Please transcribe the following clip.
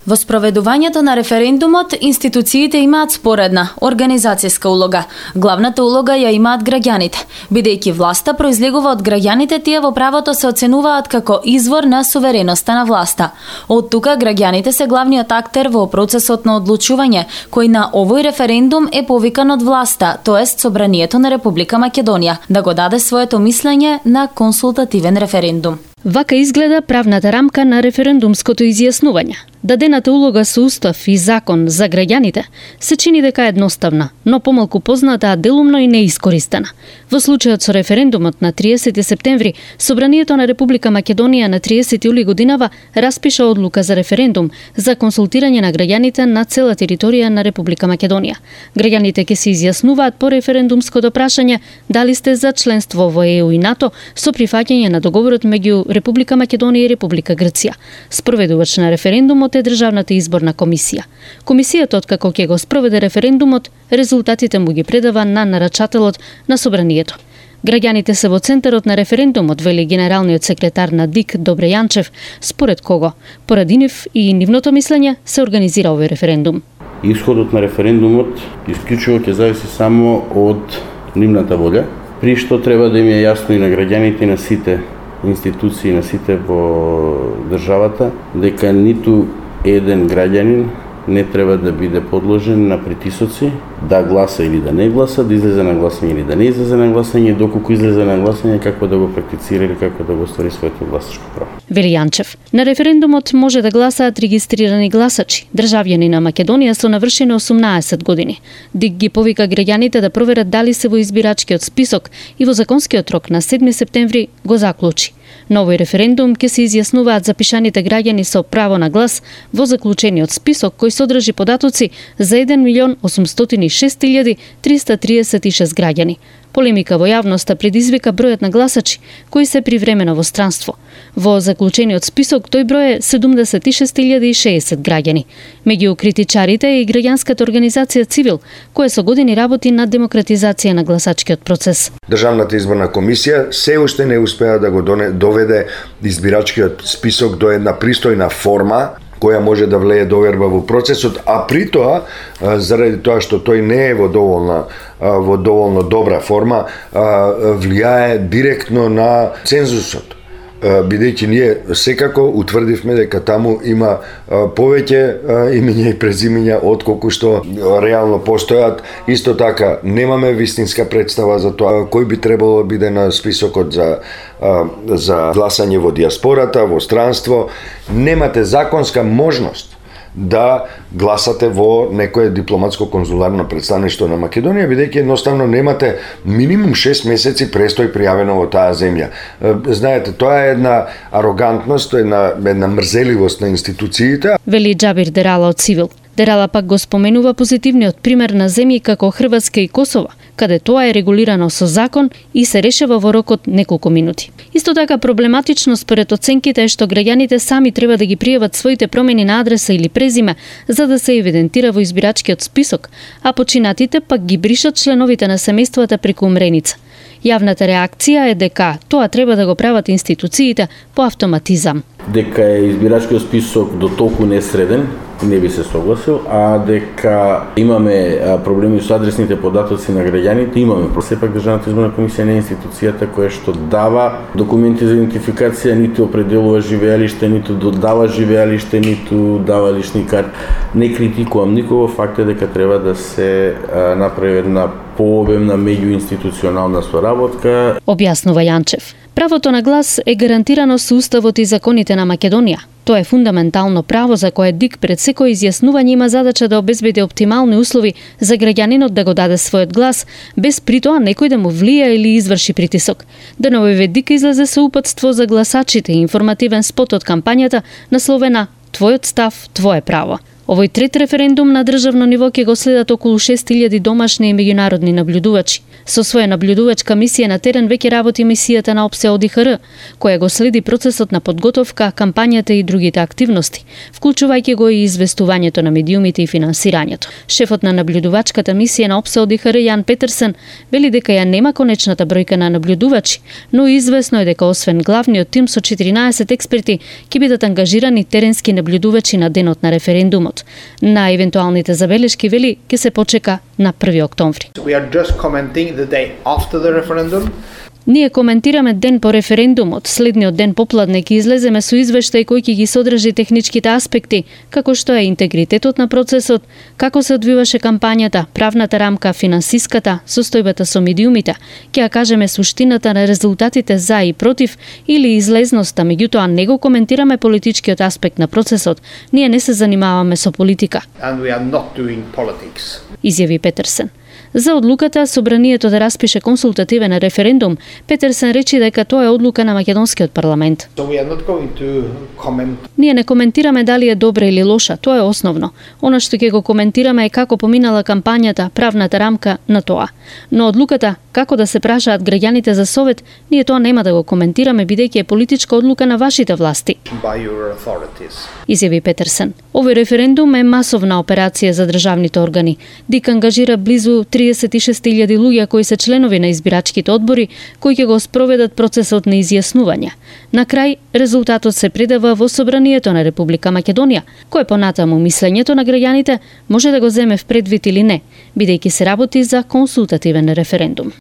Во спроведувањето на референдумот, институциите имаат споредна организацијска улога. Главната улога ја имаат граѓаните. Бидејќи власта произлегува од граѓаните, тие во правото се оценуваат како извор на сувереноста на власта. Од тука граѓаните се главниот актер во процесот на одлучување, кој на овој референдум е повикан од власта, тоест Собранието на Република Македонија, да го даде своето мислење на консултативен референдум. Вака изгледа правната рамка на референдумското изјаснување. Дадената улога со устав и закон за граѓаните се чини дека е едноставна, но помалку позната, а делумно и неискористена. Во случајот со референдумот на 30 септември, Собранието на Република Македонија на 30 јули годинава распиша одлука за референдум за консултирање на граѓаните на цела територија на Република Македонија. Граѓаните ќе се изјаснуваат по референдумското прашање дали сте за членство во ЕУ и НАТО со прифаќање на договорот меѓу Република Македонија и Република Грција. Спроведувач на референдумот е Државната изборна комисија. Комисијата, откако ќе го спроведе референдумот, резултатите му ги предава на нарачателот на Собранието. Граѓаните се во центарот на референдумот, вели генералниот секретар на ДИК Добре Јанчев, според кого, поради нив и нивното мислење, се организира овој референдум. Исходот на референдумот исклучиво ќе зависи само од нивната волја, при што треба да им е јасно и на граѓаните и на сите институции, на сите во државата, дека ниту еден граѓанин не треба да биде подложен на притисоци, да гласа или да не гласа, да излезе на гласање или да не излезе на гласање, доколку излезе на гласање, како да го практицира или како да го оствари своето гласачко право. Вели Јанчев. На референдумот може да гласаат регистрирани гласачи, државјани на Македонија со навршени 18 години. ДИК ги повика граѓаните да проверат дали се во избирачкиот список и во законскиот рок на 7 септември го заклучи. На овој референдум ќе се изјаснуваат запишаните граѓани со право на глас во заклучениот список кој содржи податоци за 1.806.336 граѓани. Полемика во јавноста предизвика бројот на гласачи кои се привремено во странство. Во заклучениот список тој број е 76.060 граѓани. Меѓу критичарите е и граѓанската организација Цивил, која со години работи на демократизација на гласачкиот процес. Државната изборна комисија се уште не успеа да го доведе избирачкиот список до една пристојна форма која може да влее доверба во процесот, а при тоа, заради тоа што тој не е во доволно добра форма, влијае директно на цензусот. Бидејќи ние секако утврдивме дека таму има повеќе имиња и презимиња отколку што реално постојат. Исто така немаме вистинска представа за тоа кој би требало да биде на списокот за гласање во диаспората, во странство. Немате законска можност да гласате во некое дипломатско-конзуларно представништво на Македонија, бидејќи едноставно немате минимум 6 месеци престој пријавено во таа земја. Знаете, тоа е една арогантност, една мрзеливост на институциите. Вели Џабир Дерала од Цивил. Дерала пак го споменува позитивниот пример на земји како Хрватска и Косово, каде тоа е регулирано со закон и се решава во рок од неколку минути. Исто така проблематично според оценките е што граѓаните сами треба да ги пријават своите промени на адреса или презиме за да се евидентира во избирачкиот список, а починатите пак ги бришат членовите на семејствата преку умреница. Јавната реакција е дека тоа треба да го прават институциите по автоматизам. Дека е избирачкиот список до толку несреден, не би се согласил, а дека имаме проблеми со адресните податоци на граѓаните, имаме. Сепак Државната изборна комисија не е институцијата која што дава документи за идентификација, ниту определува живеалиште, ниту додава живеалиште, ниту дава лични карти. Не критикувам никого, факт е дека треба да се направи една пообемна меѓуинституционална соработка. Објаснува Јанчев. Правото на глас е гарантирано со уставот и законите на Македонија. Тоа е фундаментално право за кое ДИК пред секој изјаснување има задача да обезбеди оптимални услови за граѓанинот да го даде својот глас, без при тоа некој да му влија или изврши притисок. Деновиве ДИК излезе со упатство за гласачите и информативен спот од кампањата насловена "Твојот став, твое право". Овој трет референдум на државно ниво ќе го следат околу 6000 домашни и меѓународни наблюдувачи. Со своја наблюдувачка мисија на терен веќе работи мисијата на ОПСЕ ОДИХР, која го следи процесот на подготовка, кампањата и другите активности, вклучувајќи го и известувањето на медиумите и финансирањето. Шефот на наблюдувачката мисија на ОПСЕ ОДИХР Јан Петерсен вели дека ја нема конечната бројка на наблюдувачи, но известно е дека освен главниот тим со 14 експерти ќе бидат ангажирани теренски наблюдувачи на денот на референдумот. На евентуалните забелешки вели ќе се почека на 1 октомври. Ние коментираме ден по референдумот, следниот ден попладне ќе излеземе со извештај кој ќе ги содржи техничките аспекти, како што е интегритетот на процесот, како се одвиваше кампањата, правната рамка, финансиската, состојбата со медиумите, ќе ја кажеме суштината на резултатите за и против или излезноста, меѓутоа не го коментираме политичкиот аспект на процесот. Ние не се занимаваме со политика. Изјави Петерсен. За одлуката собранието да распише консултативен референдум, Петерсен речи дека тоа е одлука на македонскиот парламент. Ние не коментираме дали е добра или лоша, тоа е основно. Она што ќе го коментираме е како поминала кампањата, правната рамка на тоа. Но одлуката како да се прашаат граѓаните за совет, ние тоа нема да го коментираме бидејќи е политичка одлука на вашите власти. Изјави Петерсен. Овој референдум е масовна операција за државните органи. ДИК ангажира близу 36.000 луѓе кои се членови на избирачките одбори, кои ќе го спроведат процесот на изјаснување. На крај, резултатот се предава во Собранието на Република Македонија, кој понатаму мислењето на граѓаните може да го земе в предвид или не, бидејќи се работи за консултативен референдум.